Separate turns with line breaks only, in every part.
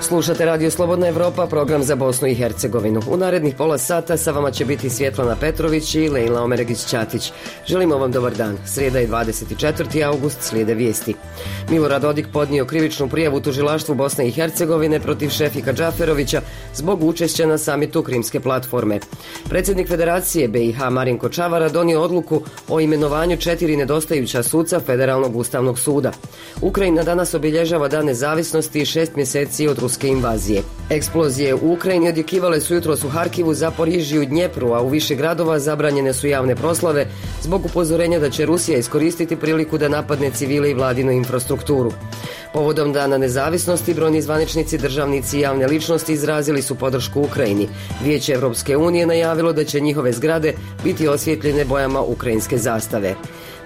Slušate Radio Slobodna Evropa, program za Bosnu i Hercegovinu. U narednih pola sata sa vama će biti Svjetlana Petrović i Lejla Omeregić-Ćatić. Želimo vam dobar dan. Srijeda je 24. august, slijede vijesti. Milorad Dodik podnio krivičnu prijavu tužilaštvu Bosne i Hercegovine protiv Šefika Džaferovića zbog učešća na samitu Krimske platforme. Predsjednik Federacije BiH Marinko Čavara donio odluku o imenovanju 4 nedostajuća suca Federalnog ustavnog suda. Ukrajina danas obilježava Dan nezavisnosti i 6 mjeseci od ruske invazije. Eksplozije u Ukrajini odjekivale su jutros u Harkivu, Zaporižju i Dnjepru, a u više gradova zabranjene su javne proslave zbog upozorenja da će Rusija iskoristiti priliku da napadne civile i vladinu infrastrukturu. Povodom Dana nezavisnosti, brojni zvaničnici, državnici i javne ličnosti izrazili su podršku Ukrajini. Vijeće Evropske unije najavilo da će njihove zgrade biti osvjetljene bojama ukrajinske zastave.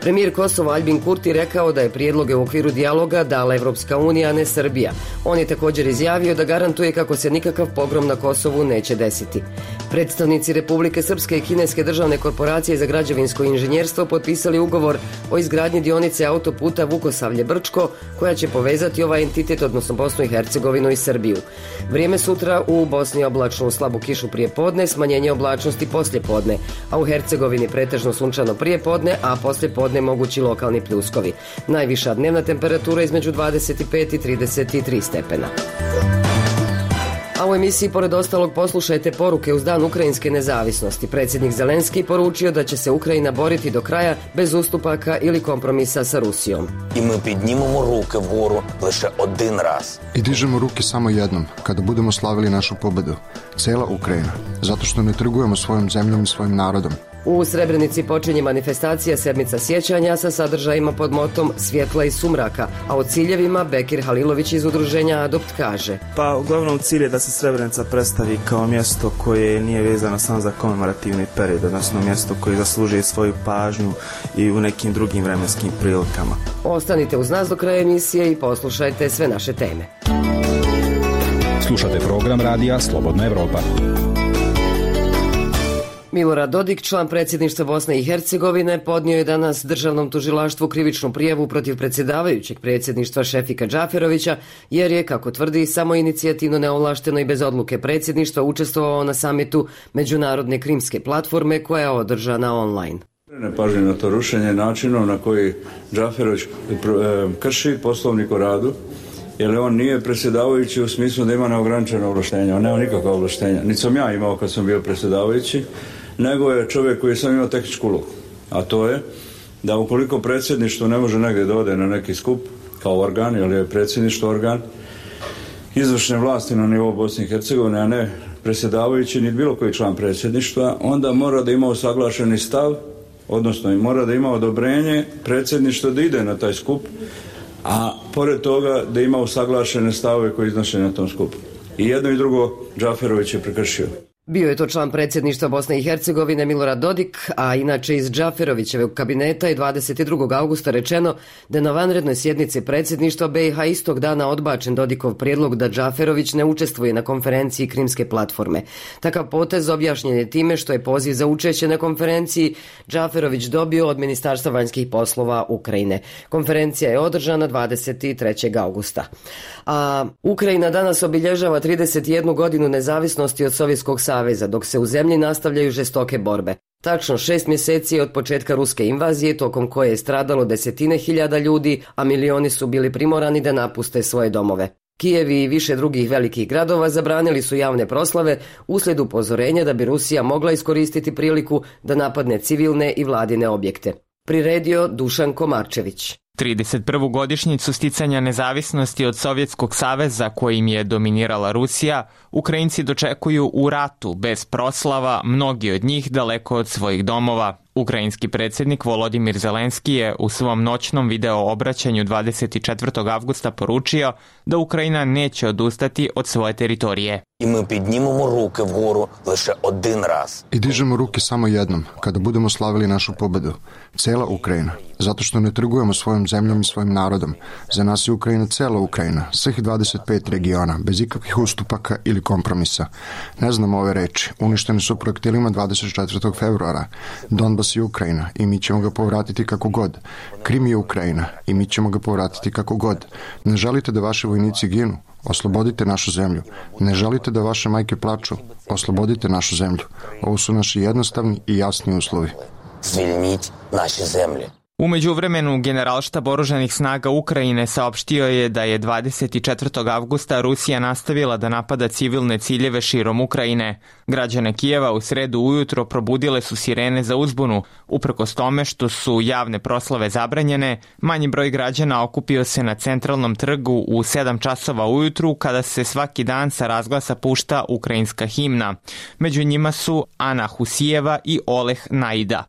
Premijer Kosova Aljbin Kurti rekao da je prijedloge u okviru dijaloga dala Evropska unija, a ne Srbija. On je također izjavio da garantuje kako se nikakav pogrom na Kosovu neće desiti. Predstavnici Republike Srpske i kineske državne korporacije za građevinsko inženjerstvo potpisali ugovor o izgradnji dionice autoputa Vukosavlje-Brčko, koja će povezati ovaj entitet, odnosno Bosnu i Hercegovinu i Srbiju. Vrijeme sutra u Bosni oblačno, u slabu kišu prije podne, smanjenje oblačnosti poslije podne, a u Hercegovini pretežno sunčano prije podne, a poslije podne mogući lokalni pljuskovi. Najviša dnevna temperatura između 25 i 33 stepena. A u emisiji pored ostalog poslušajte poruke uz Dan ukrajinske nezavisnosti. Predsjednik Zelenski poručio da će se Ukrajina boriti do kraja bez ustupaka ili kompromisa sa Rusijom.
I mi піднімемо руки вгору лише один раз.
I dižemo ruke samo jednom, kada budemo slavili našu pobedu. Cijela Ukrajina, zato što ne trgujemo svojom zemljom i svojim narodom.
U Srebrenici počinje manifestacija Sedmica sjećanja sa sadržajima pod motom Svjetla i sumraka, a o ciljevima Bekir Halilović iz udruženja Adopt kaže.
Pa uglavnom cilj je da se Srebrenica predstavi kao mjesto koje nije vezano samo za komemorativni period, odnosno mjesto koje zaslužuje svoju pažnju i u nekim drugim vremenskim prilikama.
Ostanite uz nas do kraja emisije i poslušajte sve naše teme.
Slušate program radija Slobodna Evropa.
Milorad Dodik, član predsjedništva Bosne i Hercegovine, podnio je danas državnom tužilaštvu krivičnu prijavu protiv predsjedavajućeg predsjedništva Šefika Džaferovića, jer je, kako tvrdi, samoinicijativno, neovlašteno i bez odluke predsjedništva učestvovao na samitu Međunarodne Krimske platforme koja je održana online.
Ne pažnje na to rušenje načinom na koji Džaferović krši poslovnik o radu, jer on nije predsjedavajući u smislu da ima neograničeno ovlaštenja, on nema nikakva ovlaštenja. Niti sam ja imao kad sam bio predsjedavajući, nego je čovjek koji sam imao tehničku ulogu. A to je da ukoliko predsjedništvo ne može negdje da ode na neki skup kao organ, jer je predsjedništvo organ izvršne vlasti na nivou Bosne i Hercegovine, a ne predsjedavajući ni bilo koji član predsjedništva, onda mora da ima usaglašeni stav, odnosno i mora da ima odobrenje predsjedništva da ide na taj skup, a pored toga da ima usaglašene stavove koji iznoše na tom skupu. I jedno i drugo Džaferović je prekršio.
Bio je to član predsjedništva Bosne i Hercegovine Milorad Dodik, a inače iz Džaferovićevog kabineta je 22. augusta rečeno da na vanrednoj sjednici predsjedništva BiH istog dana odbačen Dodikov prijedlog da Džaferović ne učestvuje na konferenciji Krimske platforme. Takav potez objašnjen je time što je poziv za učešće na konferenciji Džaferović dobio od Ministarstva vanjskih poslova Ukrajine. Konferencija je održana 23. augusta. A Ukrajina danas obilježava 31 godinu nezavisnosti od Sovjetskog saveza, dok se u zemlji nastavljaju žestoke borbe. Tačno 6 mjeseci od početka ruske invazije, tokom koje je stradalo desetine hiljada ljudi, a milioni su bili primorani da napuste svoje domove. Kijev i više drugih velikih gradova zabranili su javne proslave uslijed upozorenja da bi Rusija mogla iskoristiti priliku da napadne civilne i vladine objekte. Priredio Dušan Komarčević.
31. godišnjicu sticanja nezavisnosti od Sovjetskog saveza kojim je dominirala Rusija, Ukrajinci dočekuju u ratu, bez proslava, mnogi od njih daleko od svojih domova. Ukrajinski predsjednik Volodimir Zelenski je u svom noćnom video obraćanju 24. avgusta poručio da Ukrajina neće odustati od svoje teritorije.
I mi піднімемо руки вгору лише один раз.
I dižemo ruke samo jednom, kada budemo slavili našu pobedu. Cijela Ukrajina, zato što ne trgujemo svojom zemljom i svojim narodom. Za nas je Ukrajina cijela Ukrajina, svih 25 regiona, bez ikakvih ustupaka ili kompromisa. Ne znamo ove reči, uništeni su projektilima 24. februara. Donbas Donbas je Ukrajina i mi ćemo ga povratiti kako god. Krim je Ukrajina i mi ćemo ga povratiti kako god. Ne želite da vaši vojnici ginu? Oslobodite našu zemlju. Ne želite da vaše majke plaču? Oslobodite našu zemlju. Ovo su naši jednostavni i jasni uslovi.
Звільніть наші землі.
U međuvremenu, Generalštab oružanih snaga Ukrajine saopštio je da je 24. avgusta Rusija nastavila da napada civilne ciljeve širom Ukrajine. Građane Kijeva u sredu ujutro probudile su sirene za uzbunu. Uprkos tome što su javne proslave zabranjene, manji broj građana okupio se na centralnom trgu u 7 časova ujutru kada se svaki dan sa razglasa pušta ukrajinska himna. Među njima su Ana Husijeva i Oleh Naida.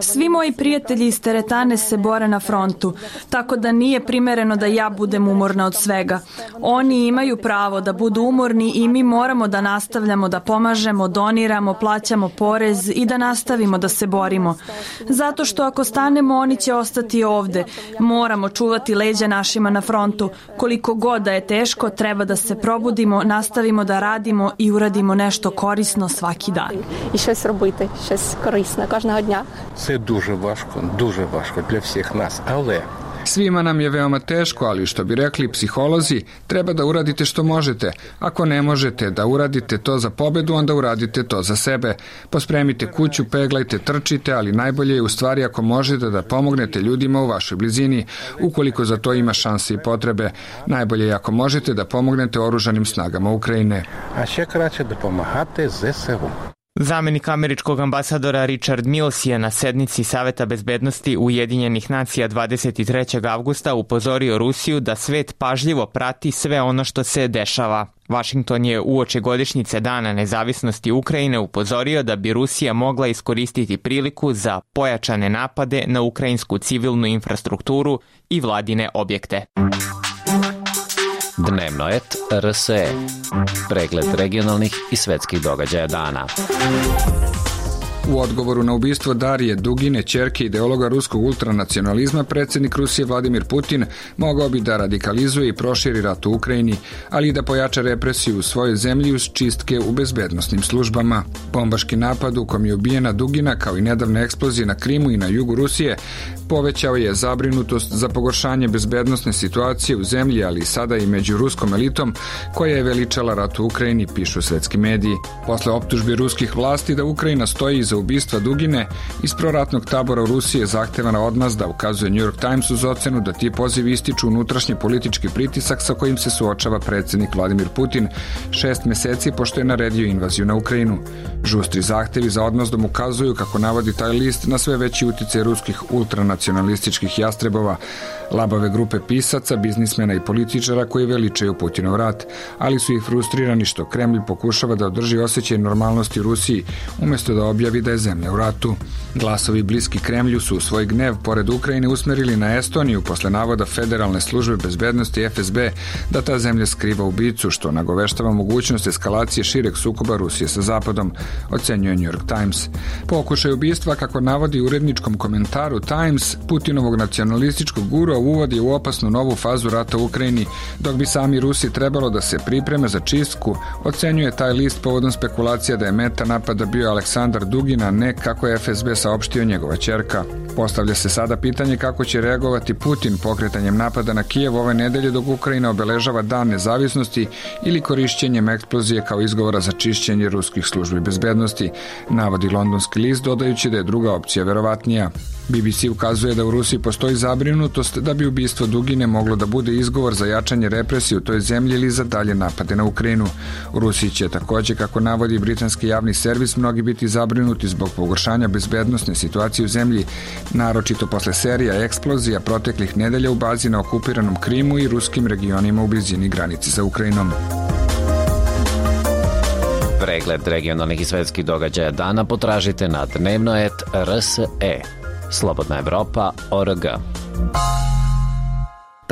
Svi moji prijatelji iz teretane se bore na frontu, tako da nije primereno da ja budem umorna od svega. Oni imaju pravo da budu umorni i mi moramo da nastavljamo da pomažemo, doniramo, plaćamo porez i da nastavimo da se borimo. Zato što ako stanemo, oni će ostati ovde. Moramo čuvati leđa našima na frontu. Koliko god da je teško, treba da se probudimo, nastavimo da radimo i uradimo nešto korisno svaki dan.
І щось робити, щось корисне кожного дня.
Це дуже важко для всіх нас, але
Svima nam je veoma teško, ali što bi rekli psiholozi, treba da uradite što možete. Ako ne možete da uradite to za pobedu, onda uradite to za sebe. Pospremite kuću, peglajte, trčite, ali najbolje je u stvari ako možete da pomognete ljudima u vašoj blizini, ukoliko za to ima šanse i potrebe. Najbolje je ako možete da pomognete oružanim snagama Ukrajine.
А ще краще допомагати ЗСУ.
Zamenik američkog ambasadora Richard Mills je na sednici Saveta bezbednosti Ujedinjenih nacija 23. avgusta upozorio Rusiju da svet pažljivo prati sve ono što se dešava. Washington je uoči godišnjice Dana nezavisnosti Ukrajine upozorio da bi Rusija mogla iskoristiti priliku za pojačane napade na ukrajinsku civilnu infrastrukturu i vladine objekte.
Dnevnoet RSE. Pregled regionalnih i svetskih događaja dana.
U odgovoru na ubistvo Darije Dugine, ćerke ideologa ruskog ultranacionalizma, predsjednik Rusije Vladimir Putin mogao bi da radikalizuje i proširi rat u Ukrajini, ali i da pojača represiju u svojoj zemlji uz čistke u bezbednosnim službama. Bombaški napad u kom je ubijena Dugina, kao i nedavne eksplozije na Krimu i na jugu Rusije, povećao je zabrinutost za pogoršanje bezbednosne situacije u zemlji, ali i sada i među ruskom elitom koja je veličala rat u Ukrajini, pišu svetski mediji. Posle optužbi ruskih vlasti da Ukrajina stoji iza ubistva Dugine, iz proratnog tabora u Rusiji je zahtevana odmazda, ukazuje New York Times uz ocenu da ti pozivi ističu unutrašnji politički pritisak sa kojim se suočava predsjednik Vladimir Putin 6 meseci pošto je naredio invaziju na Ukrajinu. Žustri zahtevi za odmazdom ukazuju, kako navodi taj list, na sve veći uticaj ruskih ultranacionalističkih jastrebova, labave grupe pisaca, biznismena i političara koji veličaju Putinov rat, ali su i frustrirani što Kremlj pokušava da održi osjećaj normalnosti u Rusiji umjesto da objavi da je zemlja u ratu. Glasovi bliski Kremlju su svoj gnev pored Ukrajine usmerili na Estoniju posle navoda Federalne službe bezbednosti FSB da ta zemlja skriva ubicu, što nagoveštava mogućnost eskalacije šireg sukoba Rusije sa Zapadom, ocenjuje New York Times. Pokušaj ubistva, kako navodi u uredničkom komentaru Times, Putinovog nacionalističkog gurua uvodi u opasnu novu fazu rata u Ukrajini, dok bi sami Rusi trebalo da se pripreme za čistku, ocenjuje taj list povodom spekulacija da je meta napada bio Aleksandar Dugin, a ne, kako je FSB saopštio, njegova ćerka. Postavlja se sada pitanje kako će reagovati Putin pokretanjem napada na Kijev ove nedelje dok Ukrajina obeležava Dan nezavisnosti ili korišćenjem eksplozije kao izgovora za čišćenje ruskih službi bezbednosti, navodi londonski list, dodajući da je druga opcija verovatnija. BBC ukazuje da u Rusiji postoji zabrinutost da bi ubistvo Dugine moglo da bude izgovor za jačanje represije u toj zemlji ili za dalje napade na Ukrajinu. U Rusiji će također, kako navodi britanski javni servis, mnogi biti zabrinuti zbog pogoršanja bezbednosne situacije u zemlji, naročito posle serija eksplozija proteklih nedelja u bazi na okupiranom Krimu i ruskim regionima u blizini granice sa Ukrajinom.
Pregled regionalnih i svetskih događaja dana potražite na dnevnoet.rs.e. Slobodna Evropa.org.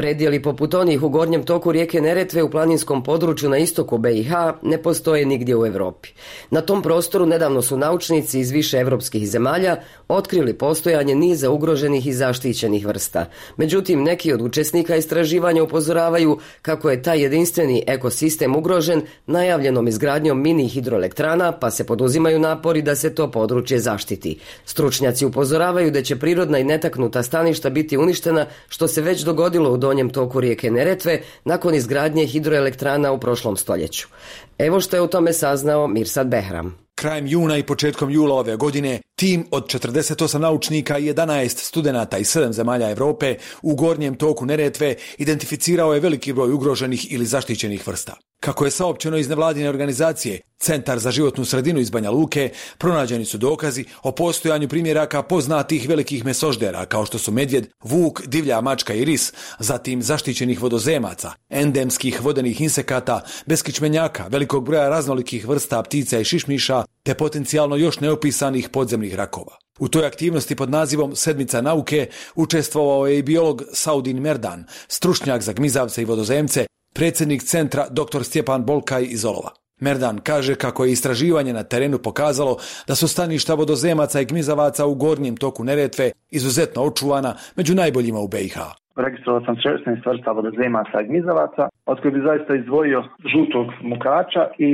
Predjeli poput onih u gornjem toku rijeke Neretve u planinskom području na istoku BiH ne postoje nigdje u Europi. Na tom prostoru nedavno su naučnici iz više evropskih zemalja otkrili postojanje niza ugroženih i zaštićenih vrsta. Međutim, neki od učesnika istraživanja upozoravaju kako je taj jedinstveni ekosistem ugrožen najavljenom izgradnjom mini hidroelektrana, pa se poduzimaju napori da se to područje zaštiti. Stručnjaci upozoravaju da će prirodna i netaknuta staništa biti uništena, što se već dogodilo u donjem toku rijeke Neretve nakon izgradnje hidroelektrana u prošlom stoljeću. Evo što je o tome saznao Mirsad Behram.
Krajem juna i početkom jula ove godine tim od 48 naučnika i 11 studenata iz 7 zemalja Europe u gornjem toku Neretve identificirao je veliki broj ugroženih ili zaštićenih vrsta. Kako je saopćeno iz nevladine organizacije Centar za životnu sredinu iz Banja Luke, pronađeni su dokazi o postojanju primjeraka poznatih velikih mesoždera kao što su medvjed, vuk, divlja mačka i ris, zatim zaštićenih vodozemaca, endemskih vodenih insekata, beskičmenjaka, velikog broja raznolikih vrsta ptica i šišmiša, te potencijalno još neopisanih podzemnih rakova. U toj aktivnosti pod nazivom Sedmica nauke učestvovao je i biolog Saudin Merdan, stručnjak za gmizavce i vodozemce, predsjednik centra dr. Stjepan Bolkaj iz Olova. Merdan kaže kako je istraživanje na terenu pokazalo da su staništa vodozemaca i gmizavaca u gornjem toku Neretve izuzetno očuvana, među najboljima u BiH.
Registrovao sam 16 vrsta vodozemaca i gmizavaca, od kojih bi zaista izdvojio žutog mukača i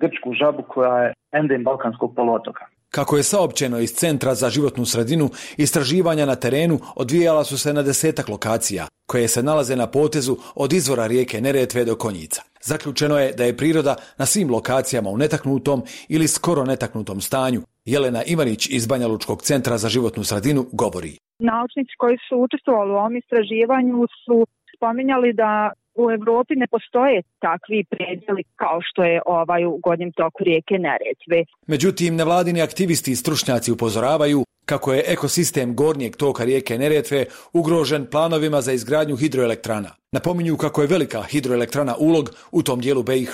grčku žabu koja je endem balkanskog poluotoka.
Kako je saopćeno iz Centra za životnu sredinu, istraživanja na terenu odvijala su se na 10 lokacija, koje se nalaze na potezu od izvora rijeke Neretve do Konjica. Zaključeno je da je priroda na svim lokacijama u netaknutom ili skoro netaknutom stanju. Jelena Ivanić iz Banja Lučkog centra za životnu sredinu govori.
Naučnici koji su učestvovali u ovom istraživanju su spominjali da u Europi ne postoje takvi predjeli kao što je u gornjem toku rijeke Neretve.
Međutim, nevladini aktivisti i stručnjaci upozoravaju kako je ekosistem gornjeg toka rijeke Neretve ugrožen planovima za izgradnju hidroelektrana. Napominju kako je velika hidroelektrana Ulog u tom dijelu BiH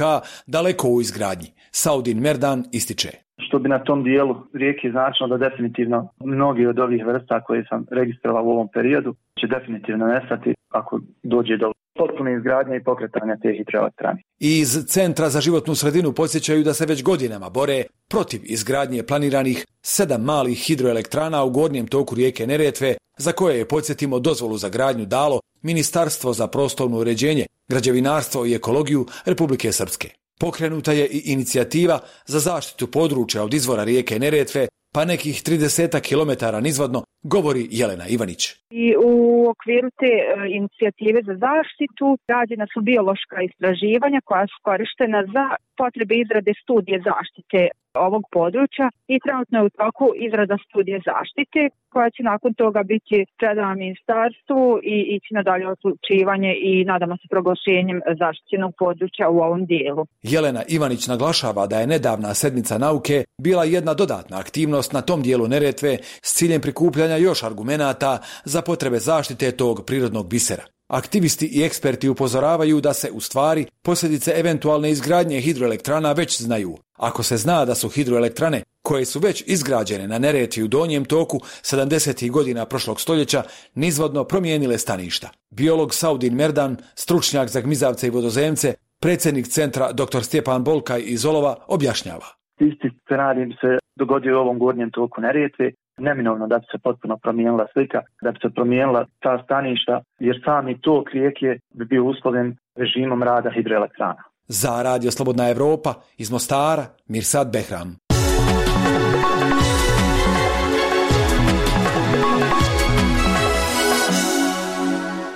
daleko u izgradnji. Saudin Merdan ističe.
Što bi na tom dijelu rijeke značilo da definitivno mnogi od ovih vrsta koje sam registrovao u ovom periodu će definitivno nestati ako dođe do potpune izgradnje i pokretanja te hidroelektrane.
Iz Centra za životnu sredinu podsjećaju da se već godinama bore protiv izgradnje planiranih 7 malih hidroelektrana u gornjem toku rijeke Neretve, za koje je, podsjetimo, dozvolu za gradnju dalo Ministarstvo za prostorno uređenje, građevinarstvo i ekologiju Republike Srpske. Pokrenuta je i inicijativa za zaštitu područja od izvora rijeke Neretve, pa nekih 30 kilometara nizvodno, govori Jelena Ivanić.
I u okviru te inicijative za zaštitu rađena su biološka istraživanja koja su korištena za potrebe izrade studije zaštite ovog područja i trenutno je u toku izrada studije zaštite koja će nakon toga biti predana ministarstvu i ići na dalje odlučivanje i nadamo se proglašenjem zaštićenog područja u ovom dijelu.
Jelena Ivanić naglašava da je nedavna sedmica nauke bila jedna dodatna aktivnost na tom dijelu Neretve s ciljem prikupljanja još argumenata za potrebe zaštite tog prirodnog bisera. Aktivisti i eksperti upozoravaju da se u stvari posljedice eventualne izgradnje hidroelektrana već znaju. Ako se zna da su hidroelektrane koje su već izgrađene na Neretvi u donjem toku 70. godina prošlog stoljeća nizvodno promijenile staništa. Biolog Saudin Merdan, stručnjak za gmizavce i vodozemce, predsjednik centra dr. Stjepan Bolkaj iz Olova objašnjava.
Isti scenarij bi se dogodio u ovom gornjem toku Neretve. Neminovno da bi se potpuno promijenila slika, da bi se promijenila ta staništa, jer sami tok rijeke bi bio uslovljen režimom rada hidroelektrana.
Za Radio Slobodna Evropa iz Mostara, Mirsad Behram.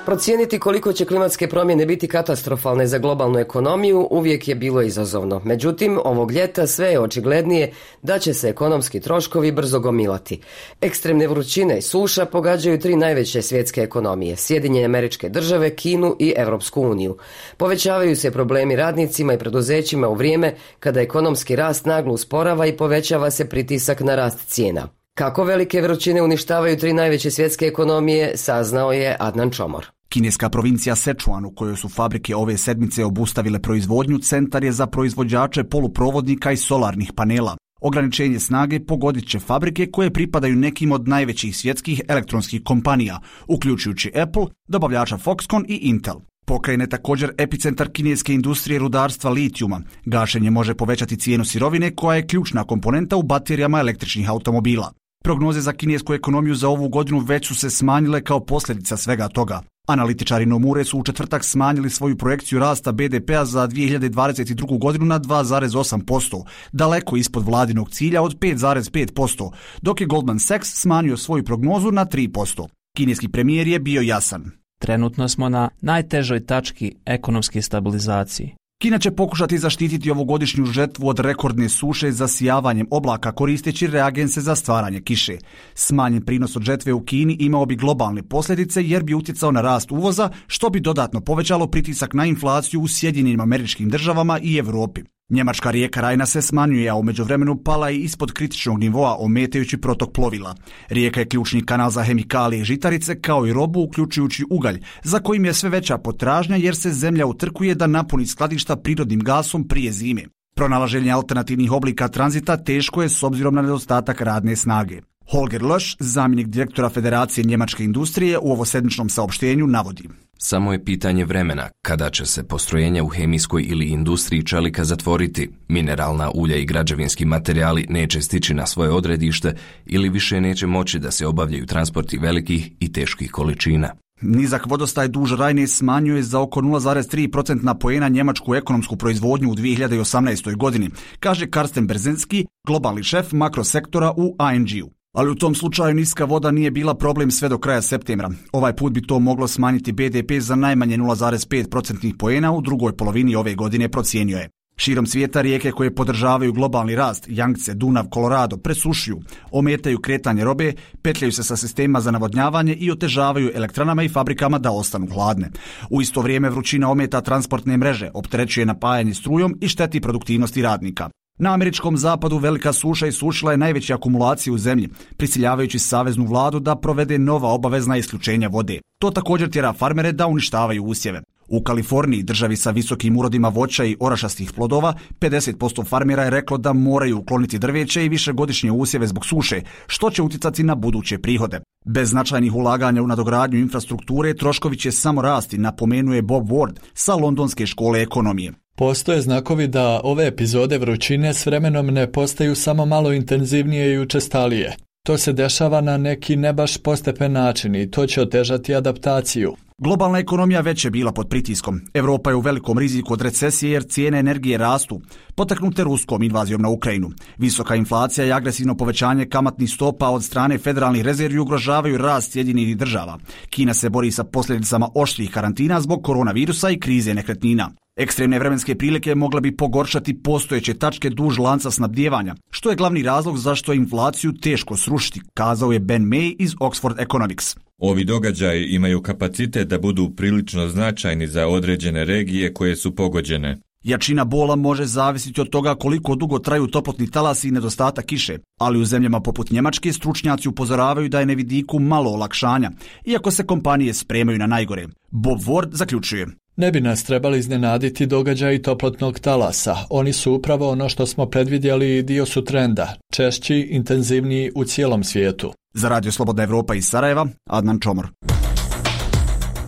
Procijeniti koliko će klimatske promjene biti katastrofalne za globalnu ekonomiju uvijek je bilo izazovno. Međutim, ovog ljeta sve je očiglednije da će se ekonomski troškovi brzo gomilati. Ekstremne vrućine i suša pogađaju 3 najveće svjetske ekonomije, Sjedinjene Američke Države, Kinu i Europsku uniju. Povećavaju se problemi radnicima i preduzećima u vrijeme kada ekonomski rast naglo usporava i povećava se pritisak na rast cijena. Kako velike vrućine uništavaju 3 najveće svjetske ekonomije, saznao je Adnan Čomor.
Kineska provincija Sečuan, u kojoj su fabrike ove sedmice obustavile proizvodnju, centar je za proizvođače poluprovodnika i solarnih panela. Ograničenje snage pogodit će fabrike koje pripadaju nekim od najvećih svjetskih elektronskih kompanija, uključujući Apple, dobavljača Foxconn i Intel. Pokrajina je također epicentar kineske industrije rudarstva litijuma. Gašenje može povećati cijenu sirovine koja je ključna komponenta u baterijama električnih automobila. Prognoze za kinesku ekonomiju za ovu godinu već su se smanjile kao posljedica svega toga. Analitičari Nomure su u četvrtak smanjili svoju projekciju rasta BDP-a za 2022. godinu na 2,8%, daleko ispod vladinog cilja od 5,5%, dok je Goldman Sachs smanjio svoju prognozu na 3%. Kineski premijer je bio jasan.
Trenutno smo na najtežoj tački ekonomske stabilizacije.
Kina će pokušati zaštititi ovogodišnju žetvu od rekordne suše zasijavanjem oblaka koristeći reagense za stvaranje kiše. Smanjen prinos od žetve u Kini imao bi globalne posljedice jer bi utjecao na rast uvoza, što bi dodatno povećalo pritisak na inflaciju u Sjedinjenim Američkim Državama i Europi. Njemačka rijeka Rajna se smanjuje, a u međuvremenu pala i ispod kritičnog nivoa ometajući protok plovila. Rijeka je ključni kanal za hemikalije i žitarice kao i robu uključujući ugalj, za kojim je sve veća potražnja jer se zemlja utrkuje da napuni skladišta prirodnim gasom prije zime. Pronalaženje alternativnih oblika tranzita teško je s obzirom na nedostatak radne snage. Holger Lösch, zamjenik direktora Federacije njemačke industrije, u ovosedmičnom saopštenju navodi:
Samo je pitanje vremena kada će se postrojenja u hemijskoj ili industriji čelika zatvoriti, mineralna ulja i građevinski materijali neće stići na svoje odredište ili više neće moći da se obavljaju transporti velikih i teških količina.
Nizak vodostaj duž Rajne smanjuje za oko 0,3% poena njemačku ekonomsku proizvodnju u 2018. godini, kaže Karsten Berzenski, globalni šef makrosektora u ING-u. Ali u tom slučaju niska voda nije bila problem sve do kraja septembra. Ovaj put bi to moglo smanjiti BDP za najmanje 0,5% poena u drugoj polovini ove godine, procijenio je. Širom svijeta rijeke koje podržavaju globalni rast, Jangtze, Dunav, Kolorado, presušuju, ometaju kretanje robe, petljaju se sa sistemima za navodnjavanje i otežavaju elektranama i fabrikama da ostanu hladne. U isto vrijeme vrućina ometa transportne mreže, opterećuje napajanje strujom i šteti produktivnosti radnika. Na američkom zapadu velika suša isušila je najveće akumulacije u zemlji, prisiljavajući saveznu vladu da provede nova obavezna isključenja vode. To također tjera farmere da uništavaju usjeve. U Kaliforniji, državi sa visokim urodima voća i orašastih plodova, 50% farmera je reklo da moraju ukloniti drveće i višegodišnje usjeve zbog suše, što će utjecati na buduće prihode. Bez značajnih ulaganja u nadogradnju infrastrukture, troškovi će samo rasti, napomenuje Bob Ward sa Londonske škole ekonomije.
Postoje znakovi da ove epizode vrućine s vremenom ne postaju samo malo intenzivnije i učestalije. To se dešava na neki ne baš postepen način i to će otežati adaptaciju.
Globalna ekonomija već je bila pod pritiskom. Europa je u velikom riziku od recesije jer cijene energije rastu, potaknute ruskom invazijom na Ukrajinu. Visoka inflacija i agresivno povećanje kamatnih stopa od strane federalnih rezervi ugrožavaju rast Sjedinjenih Država. Kina se bori sa posljedicama oštrih karantina zbog koronavirusa i krize nekretnina. Ekstremne vremenske prilike mogle bi pogoršati postojeće tačke duž lanca snabdijevanja, što je glavni razlog zašto je inflaciju teško srušiti, kazao je Ben May iz Oxford Economics.
Ovi događaji imaju kapacitet da budu prilično značajni za određene regije koje su pogođene.
Jačina bola može zavisiti od toga koliko dugo traju toplotni talasi i nedostatak kiše, ali u zemljama poput Njemačke stručnjaci upozoravaju da je na vidiku malo olakšanja, iako se kompanije spremaju na najgore. Bob Ward zaključuje:
Ne bi nas trebali iznenaditi događaji toplotnog talasa. Oni su upravo ono što smo predvidjeli i dio su trenda, češći, intenzivniji u cijelom svijetu.
Za Radio Slobodna Evropa iz Sarajeva, Adnan Čomor.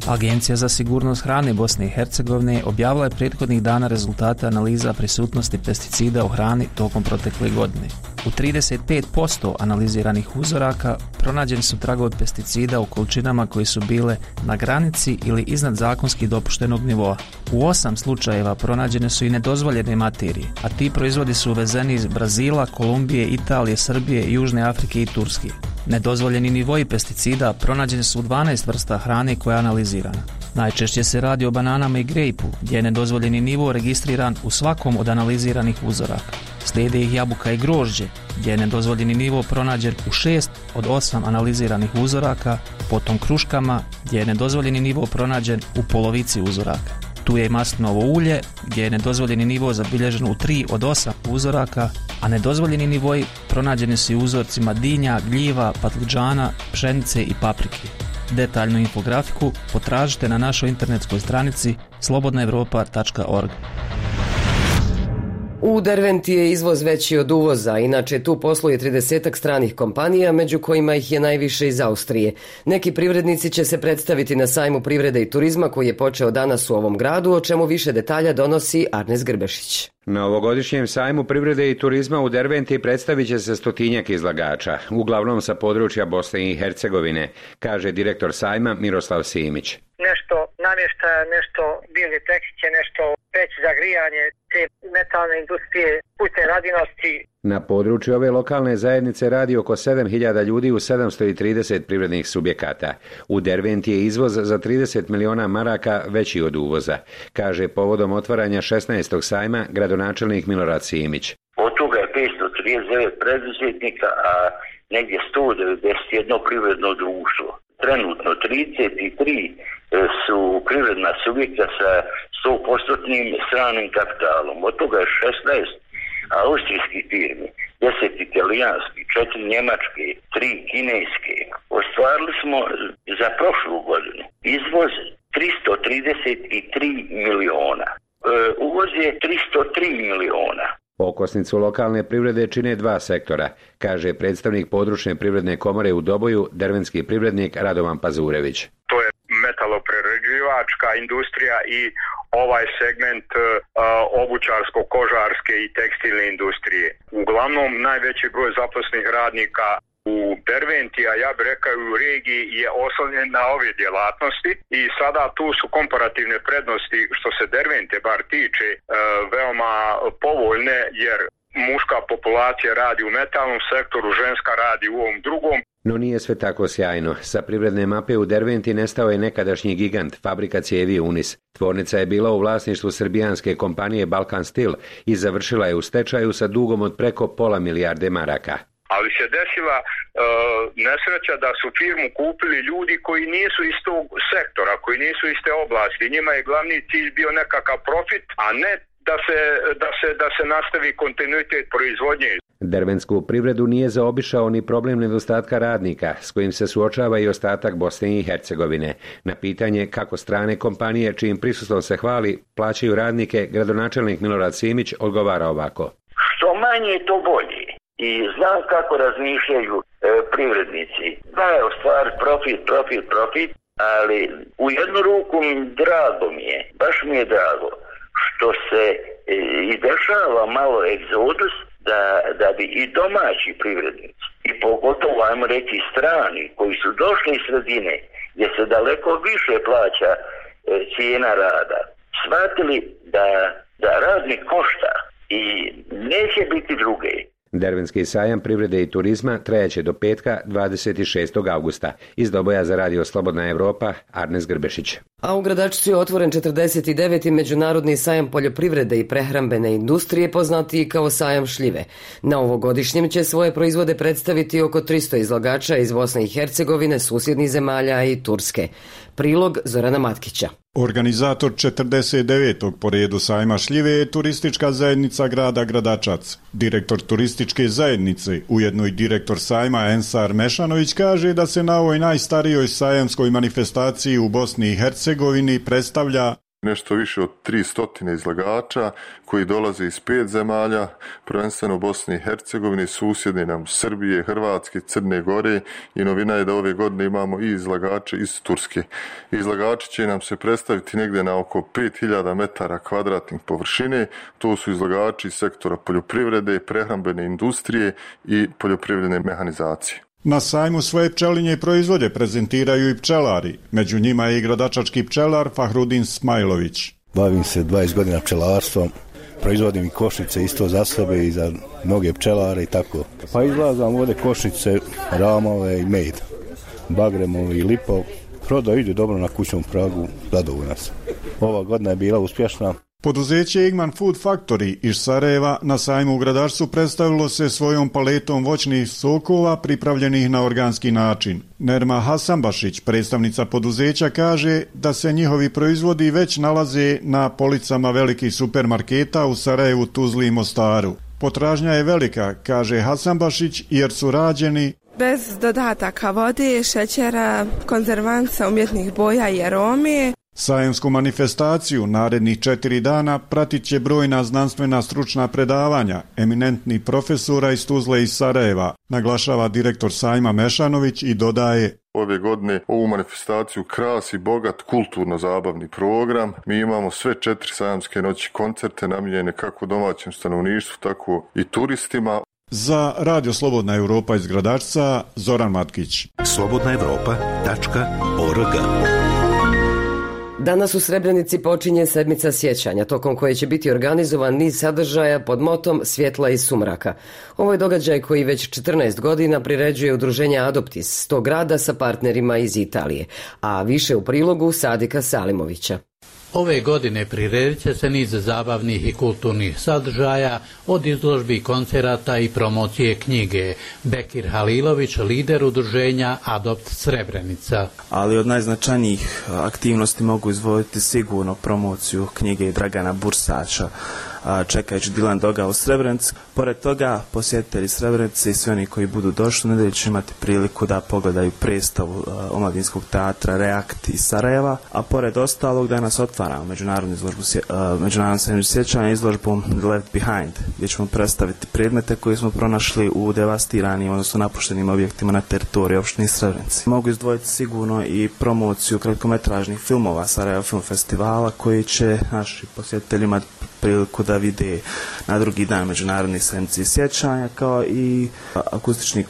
Agencija za sigurnost hrane Bosne i Hercegovine objavila je prethodnih dana rezultate analiza prisutnosti pesticida u hrani tokom protekle godine. U 35% analiziranih uzoraka pronađeni su tragovi pesticida u količinama koje su bile na granici ili iznad zakonski dopuštenog nivoa. U 8 slučajeva pronađene su i nedozvoljene materije, a ti proizvodi su uvezeni iz Brazila, Kolumbije, Italije, Srbije, Južne Afrike i Turske. Nedozvoljeni nivoji pesticida pronađeni su u 12 vrsta hrane koja je analizirana. Najčešće se radi o bananama i grejpu, gdje je nedozvoljeni nivo registriran u svakom od analiziranih uzoraka. Slijede ih jabuka i grožđe, gdje je nedozvoljeni nivo pronađen u 6 od 8 analiziranih uzoraka, potom kruškama, gdje je nedozvoljeni nivo pronađen u polovici uzoraka. Tu je i maslinovo ulje, gdje je nedozvoljeni nivo zabilježen u 3 od 8 uzoraka, a nedozvoljeni nivoji pronađeni su i u uzorcima dinja, gljiva, patlıđana, pšenice i paprike. Detaljnu infografiku potražite na našoj internetskoj stranici slobodnaevropa.org.
U Derventi je izvoz veći od uvoza, inače tu posluje 30 stranih kompanija, među kojima ih je najviše iz Austrije. Neki privrednici će se predstaviti na sajmu privrede i turizma koji je počeo danas u ovom gradu, o čemu više detalja donosi Arnes Grbešić.
Na ovogodišnjem sajmu privrede i turizma u Derventi predstavit će se 100-tinjak izlagača, uglavnom sa područja Bosne i Hercegovine, kaže direktor sajma Miroslav Simić.
Nešto namještaja, nešto biljne tehnike, nešto peći za grijanje, te metalne industrije, putne radinosti.
Na području ove lokalne zajednice radi oko 7.000 ljudi u 730 privrednih subjekata. U Derventi je izvoz za 30 miliona maraka veći od uvoza, kaže povodom otvaranja 16. sajma gradonačelnik Milorad Simić.
Od toga je 539 preduzetnika, a negdje 191 privredno društvo. Trenutno 33 su privredna subjekta sa 100% stranim kapitalom. Od toga je 16 austrijskih firmi, 10 italijanskih, 4 njemačke, 3 kineske. Ostvarili smo za prošlu godinu izvoz 333 miliona. Uvoz je 303 miliona.
Okosnicu lokalne privrede čine dva sektora, kaže predstavnik područne privredne komore u Doboju, dervenski privrednik Radovan Pazurević.
To je metaloprerađivačka industrija i ovaj segment obućarsko-kožarske i tekstilne industrije. Uglavnom najveći broj zaposlenih radnika u Derventi, a ja bih rekao u regiji, je oslonjen na ove djelatnosti i sada tu su komparativne prednosti što se Dervente bar tiče veoma povoljne, jer muška populacija radi u metalnom sektoru, ženska radi u ovom drugom.
No nije sve tako sjajno. Sa privredne mape u Derventi nestao je nekadašnji gigant, fabrika cijevi Unis. Tvornica je bila u vlasništvu srbijanske kompanije Balkan Steel i završila je u stečaju sa dugom od preko $500 milijarde maraka.
Ali se desila nesreća da su firmu kupili ljudi koji nisu iz tog sektora, koji nisu iz te oblasti. Njima je glavni cilj bio nekakav profit, a ne da se nastavi kontinuitet proizvodnje.
Derventsku privredu nije zaobišao ni problem nedostatka radnika, s kojim se suočava i ostatak Bosne i Hercegovine. Na pitanje kako strane kompanije, čijim prisustvom se hvali, plaćaju radnike, gradonačelnik Milorad Simić odgovara ovako.
Što manje, to bolje. I znam kako razmišljaju privrednici. Da je u stvari profit, ali u jednu ruku drago mi je, baš mi je drago, što se i dešava malo egzodus da bi i domaći privrednici, i pogotovo, ajmo reći, strani, koji su došli iz sredine, gdje se daleko više plaća cijena rada, shvatili da radnik košta i neće biti druge.
Dervenski sajam privrede i turizma trajaće do petka 26. augusta. Iz Doboja za Radio Slobodna Evropa, Arnes Grbešić.
A u Gradačcu je otvoren 49. međunarodni sajam poljoprivrede i prehrambene industrije, poznatiji kao sajam šljive. Na ovogodišnjem će svoje proizvode predstaviti oko 300 izlagača iz Bosne i Hercegovine, susjednih zemalja i Turske. Prilog Zorana Matkića.
Organizator 49. po redu sajma šljive je turistička zajednica grada Gradačac. Direktor turističke zajednice, ujedno i direktor sajma Ensar Mešanović, kaže da se na ovoj najstarijoj sajamskoj manifestaciji u Bosni i Hercegovini predstavlja
nešto više od 300 izlagača koji dolaze iz 5 zemalja, prvenstveno Bosne i Hercegovine, susjedne nam Srbije, Hrvatske, Crne Gore, i novina je da ove godine imamo i izlagače iz Turske. Izlagači će nam se predstaviti negdje na oko 5000 metara kvadratnih površine. To su izlagači iz sektora poljoprivrede, prehrambene industrije i poljoprivredne mehanizacije.
Na sajmu svoje pčelinje proizvode prezentiraju i pčelari. Među njima je i gradačački pčelar Fahrudin Smajlović.
Bavim se 20 godina pčelarstvom, proizvodim i košnice isto za sebe i za mnoge pčelare i tako. Pa izlazam ovdje košnice, ramove i med, bagremovi i lipov. Prodao ide dobro na kućnom pragu, zadovoljan sam. Ova godina je bila uspješna.
Poduzeće Igman Food Factory iz Sarajeva na sajmu u Gradačcu predstavilo se svojom paletom voćnih sokova pripravljenih na organski način. Nerma Hasanbašić, predstavnica poduzeća, kaže da se njihovi proizvodi već nalaze na policama velikih supermarketa u Sarajevu, Tuzli i Mostaru. Potražnja je velika, kaže Hasanbašić, jer su rađeni
bez dodataka vode, šećera, konzervansa, umjetnih boja i arome.
Sajemsku manifestaciju narednih 4 dana pratit će brojna znanstvena stručna predavanja eminentnih profesora iz Tuzle i Sarajeva, naglašava direktor sajma Mešanović i dodaje:
Ove godine ovu manifestaciju krasi bogat kulturno-zabavni program. Mi imamo sve 4 sajamske noći koncerte namijenjene kako domaćem stanovništvu, tako i turistima.
Za Radio Slobodna Europa iz Gradačca, Zoran Matkić.
slobodnaevropa.org.
Danas u Srebrenici počinje sedmica sjećanja, tokom koje će biti organizovan niz sadržaja pod motom Svjetla iz sumraka. Ovo je događaj koji već 14 godina priređuje udruženje Adoptis tog grada sa partnerima iz Italije, a više u prilogu Sadika Salimovića.
Ove godine priredit će se niz zabavnih i kulturnih sadržaja, od izložbi, koncerata i promocije knjige. Bekir Halilović, lider udruženja Adopt Srebrenica.
Ali od najznačajnijih aktivnosti mogu izdvojiti sigurno promociju knjige Dragana Bursača, Čekajući Dilan Doga u Srebrenici. Pored toga, posjetitelji Srebrenice i svi oni koji budu došli u nedjelju će imati priliku da pogledaju predstavu omladinskog teatra Reakt iz Sarajeva, a pored ostalog danas otvaramo međunarodnu sedmicu sjećanja izložbom Left Behind, gdje ćemo predstaviti predmete koje smo pronašli u devastiranim, odnosno napuštenim objektima na teritoriji opštine Srebrenice. Mogu izdvojiti sigurno i promociju kratkometražnih filmova Sarajevo Film Festivala, koji će naši posjetitelji imati priliku da vide na drugi dan međunarodnih sedmice sjećanja, kao i akustični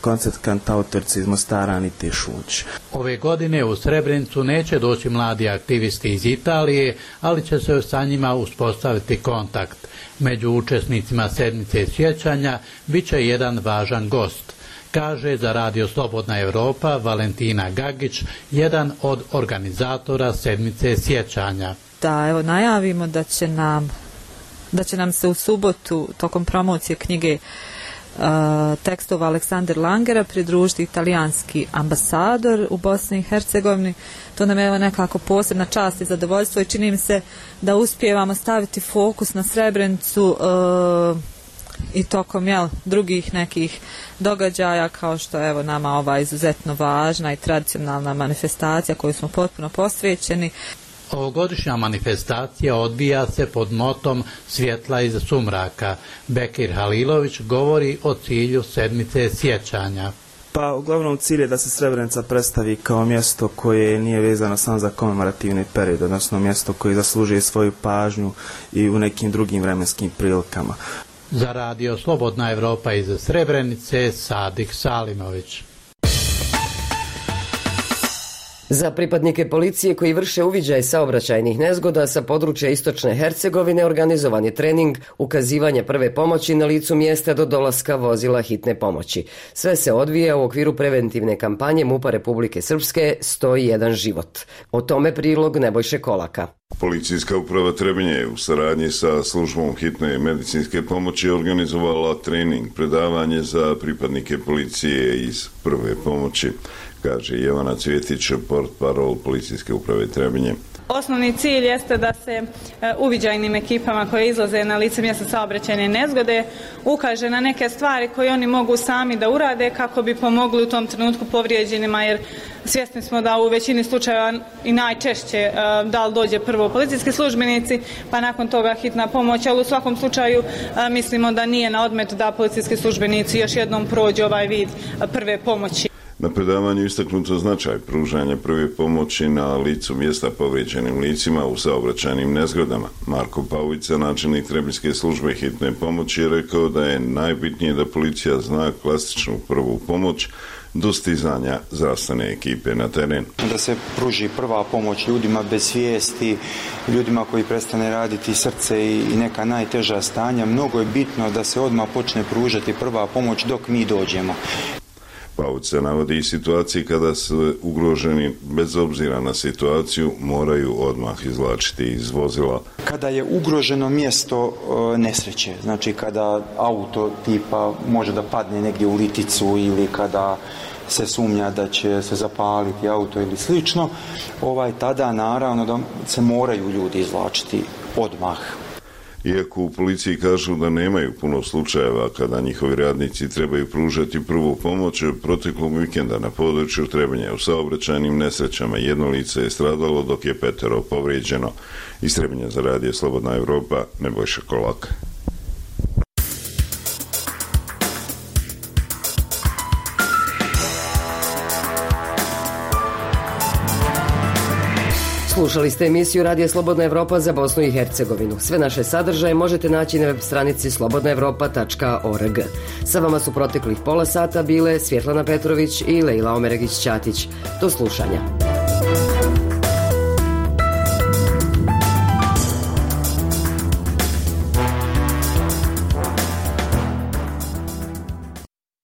koncert kantautorice iz Mostara Anite Šunć.
Ove godine u Srebrenicu neće doći mladi aktivisti iz Italije, ali će se sa njima uspostaviti kontakt. Među učesnicima sedmice sjećanja bit će jedan važan gost, kaže za Radio Slobodna Europa Valentina Gagić, jedan od organizatora sedmice sjećanja.
Da evo najavimo da će nam se u subotu tokom promocije knjige tekstova Aleksandar Langera pridružiti italijanski ambasador u Bosni i Hercegovini. To nam je evo nekako posebna čast i zadovoljstvo i čini mi se da uspijevamo staviti fokus na Srebrenicu i tokom drugih nekih događaja, kao što evo nama ova izuzetno važna i tradicionalna manifestacija koju smo potpuno posvećeni.
Ovogodišnja manifestacija odvija se pod motom Svjetla iz sumraka. Bekir Halilović govori o cilju sedmice sjećanja.
Pa uglavnom cilj je da se Srebrenica predstavi kao mjesto koje nije vezano samo za komemorativni period, odnosno mjesto koje zaslužuje svoju pažnju i u nekim drugim vremenskim prilikama.
Za Radio Slobodna Europa iz Srebrenice, Sadik Salimović.
Za pripadnike policije koji vrše uviđaj saobraćajnih nezgoda sa područja Istočne Hercegovine organizovan je trening ukazivanja prve pomoći na licu mjesta do dolaska vozila hitne pomoći. Sve se odvija u okviru preventivne kampanje MUP-a Republike Srpske 101 život. O tome prilog Nebojše Kolaka.
Policijska uprava Trebinje je u saradnji sa službom hitne medicinske pomoći organizovala trening, predavanje za pripadnike policije iz prve pomoći, kaže Jovana Cvjetić, portparol Policijske uprave Trebinje.
Osnovni cilj jeste da se uviđajnim ekipama koje izlaze na lice mjesta saobraćajne nezgode ukaže na neke stvari koje oni mogu sami da urade kako bi pomogli u tom trenutku povrijeđenima, jer svjesni smo da u većini slučajeva i najčešće da li dođe prvo policijski službenici pa nakon toga hitna pomoć, ali u svakom slučaju mislimo da nije na odmet da policijski službenici još jednom prođu ovaj vid prve pomoći.
Na predavanju istaknuto značaj pružanja prve pomoći na licu mjesta povrijeđenim licima u saobraćajnim nezgodama. Marko Pauvica, načelnik Trebinjske službe hitne pomoći, je rekao da je najbitnije da policija zna klasičnu prvu pomoć do stizanja zdravstvene ekipe na teren.
Da se pruži prva pomoć ljudima bez svijesti, ljudima koji prestane raditi srce i neka najteža stanja. Mnogo je bitno da se odmah počne pružati prva pomoć dok mi dođemo.
Pauvica navodi i situacije kada su ugroženi, bez obzira na situaciju, moraju odmah izvlačiti iz vozila.
Kada je ugroženo mjesto nesreće, znači kada auto tipa može da padne negdje u liticu ili kada se sumnja da će se zapaliti auto ili slično, tada naravno da se moraju ljudi izvlačiti odmah.
Iako u policiji kažu da nemaju puno slučajeva kada njihovi radnici trebaju pružati prvu pomoć, proteklog vikenda na području Trebinja u saobraćajnim nesrećama 1 lice je stradalo dok je 5 povrijeđeno. Iz Trebinja za Radio Slobodna Evropa, Nebojša Kolak.
Slušali ste emisiju Radija Slobodna Evropa za Bosnu i Hercegovinu. Sve naše sadržaje možete naći na web stranici slobodnaevropa.org. Sa vama su proteklih pola sata bile Svjetlana Petrović i Lejla Omeregić-Ćatić. Do slušanja.